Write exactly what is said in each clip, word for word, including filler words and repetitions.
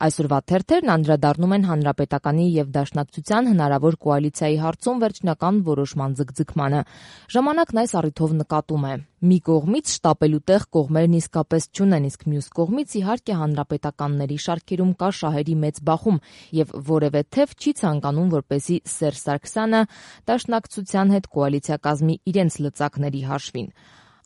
Այսօրվա թերթերն անդրադառնում են Հանրապետականի եւ Դաշնակցության հնարավոր կոալիցիայի հարցում վերջնական որոշման ձգձգմանը։ Ժամանակն այս առիթով նկատում է. մի կողմից շտապելու տեղ կողմերն իսկապես չունեն, իսկ մյուս կողմից իհարկե հանրապետականների շարքերում կա շահերի մեծ բախում եւ որևէ թեւ չի ցանկանում, որպեսզի Սերժ Սարգսյանը Դաշնակցության հետ կոալիցիա կազմի իրենց լծակների հաշվին։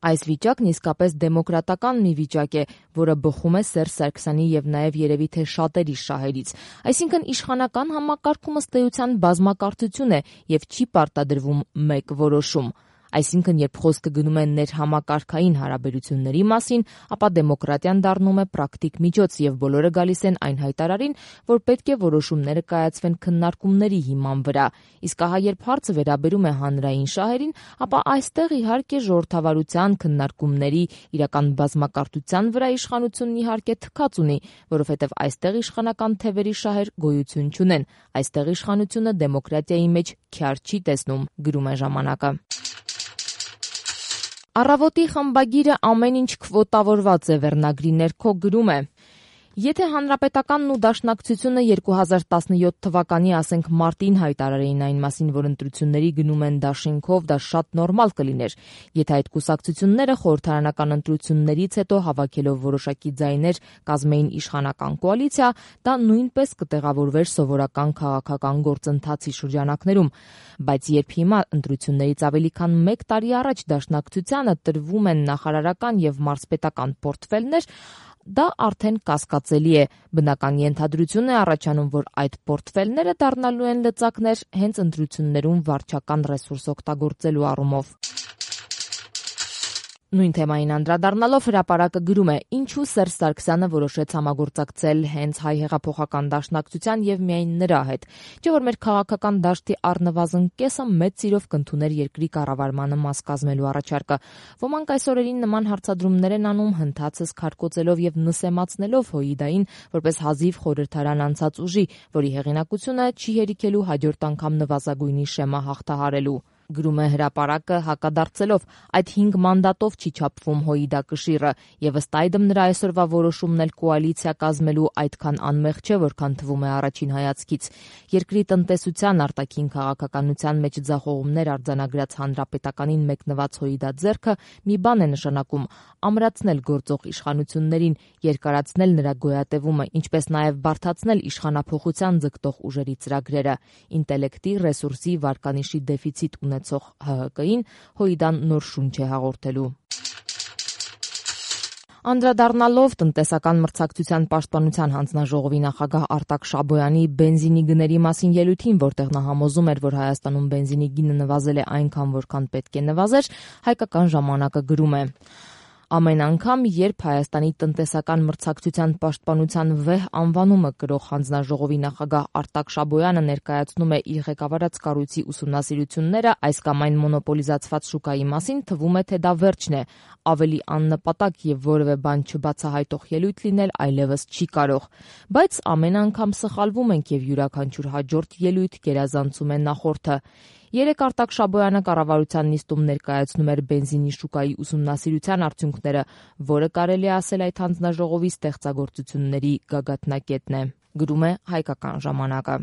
Այս վիճակն իսկապես դեմոկրատական մի վիճակ է, որը բխում է Սերժ Սարգսյանի եւ նաեւ երևի թե շատերի շահերից։ Այսինքն իշխանական համակարգում ըստ էության բազմակարծություն է եւ չի պարտադրվում մեկ որոշում։ Այսինքն, երբ խոսքը գնում է ներհամակարգային հարաբերությունների մասին, ապա դեմոկրատիան դառնում է պրակտիկ միջոց եւ բոլորը գալիս են այն հայտարարին, որ պետք է որոշումները կայացվեն քննարկումների հիման վրա։ Իսկ ահա երբ հարցը վերաբերում է հանրային շահերին, ապա այստեղ իհարկե ժողովրդավարության քննարկումների իրական բազմակարծության վրա իշխանությունն իհարկե թքած ունի, որովհետեւ այստեղ իշխանական թևերի շահեր գոյություն չունեն։ Այստեղ իշխանությունը դեմոկրատիայի մեջ քյար չի տեսնում, գրում է ժամանակը։ Առավոտի խմբագիրը ամեն ինչ քվոտավորված է վերնագրի ներքո գրում է. Եթե Հանրապետականն ու Դաշնակցությունը երկու հազար տասնյոթ թվականի, ասենք մարտին հայտարարեին այն մասին, որ ընտրությունների գնում են դաշինքով, դա շատ նորմալ կլիներ։ Եթե այդ կուսակցությունները խորհրդարանական ընտրություններից հետո հավաքելով որոշակի ձայներ կազմեին իշխանական կոալիցիա, դա նույնպես կտեղավորվեր սովորական քաղաքական գործընթացի շրջանակներում։ Բայց երբ հիմա ընտրություններից ավելի քան մեկ տարի առաջ Դաշնակցությանը տրվում են նախարարական եւ մարզպետական պորտֆելներ, դա արդեն կասկածելի է։ Բնական ենթադրություն է առաջանում, որ այդ պորտֆելները դառնալու են լծակներ հենց ընտրություններում վարչական ռեսուրս օգտագործելու առումով։ Նույն թեմային անդրադառնալով հրապարակը գրում է. ինչու Սերժ Սարգսյանը որոշեց համագործակցել հենց Հայ հեղափոխական դաշնակցության եւ միայն նրա հետ։ Չէ՞ որ մեր քաղաքական դաշտի առնվազն կեսը մեծ սիրով կընդուներ երկրի կառավարմանը մաս կազմելու առաջարկը։ Ոմանք այս օրերին նման հարցադրումներ են անում, հնդածս քարկոծելով եւ նսեմացնելով Հոիդային որպես հազիվ խորհրդարան անցած ուժի, որի հեղինակությունը չի հերիքելու հաջորդ անգամ նվազագույնի շեմը հաղթահարելու։ Գրում է հրապարակը հակադարձելով. այդ հինգ մանդատով չի չափվում Հոիդա կշիռը, եւ ըստ այդմ նրա այսօրվա որոշումն էլ կոալիցիա կազմելու այդքան անմեղ չէ, որքան թվում է առաջին հայացքից։ Երկրի տնտեսության, արտաքին քաղաքականության մեջ ձախողումներ արձանագրած Հանրապետականին մեկնված Հոիդա ձեռքը մի բան է նշանակում՝ ամրացնել գործող իշխանություններին, երկարացնել նրա գոյատևումը, ինչպես նաեւ բարդացնել իշխանափոխության ձգտող ուժերի ծրագրերը։ Ինտելեկտի, ռեսուրսի, վարկանիշի դեֆիցիտ ունեցող Հ Հ Կին Հոիդան նոր շունչ է հաղորդելու։ Անդրադառնալով տնտեսական մրցակցության պաշտպանության հանձնաժողովի նախագահ Արտակ Շաբոյանի բենզինի գների մասին ելույթին, որտեղ նա համոզում էր, որ Հայաստանում բենզինի գինը նվազել է այնքան, որքան պետք է նվազեր, Հայկական ժամանակը գրում է. Ամեն անգամ, երբ Հայաստանի տնտեսական մրցակցության պաշտպանության վեհ անվանումը կրող հանձնաժողովի նախագահ Արտակ Շաբոյանը ներկայացնում է իր ղեկավարած կառույցի ուսումնասիրությունները այս կամ այն մոնոպոլիզացված շուկայի մասին, թվում է, թե դա վերջն է։ Ավելի աննպատակ եւ որևէ բան չբացահայտող ելույթ լինել այլևս չի կարող։ Բայց ամեն անգամ սխալվում ենք եւ յուրաքանչյուր հաջորդ ելույթ գերազանցում է նախորդը։ Երեկ Արտակ Շաբոյանը կառավարության նիստում ներկայացնում էր բենզինի շուկայի ուսումնասիրության արդյունքները, որը կարելի է ասել այդ հանձնաժողովի ստեղծագործությունների գագաթնակետն է, գրում է Հայկական ժամանակը։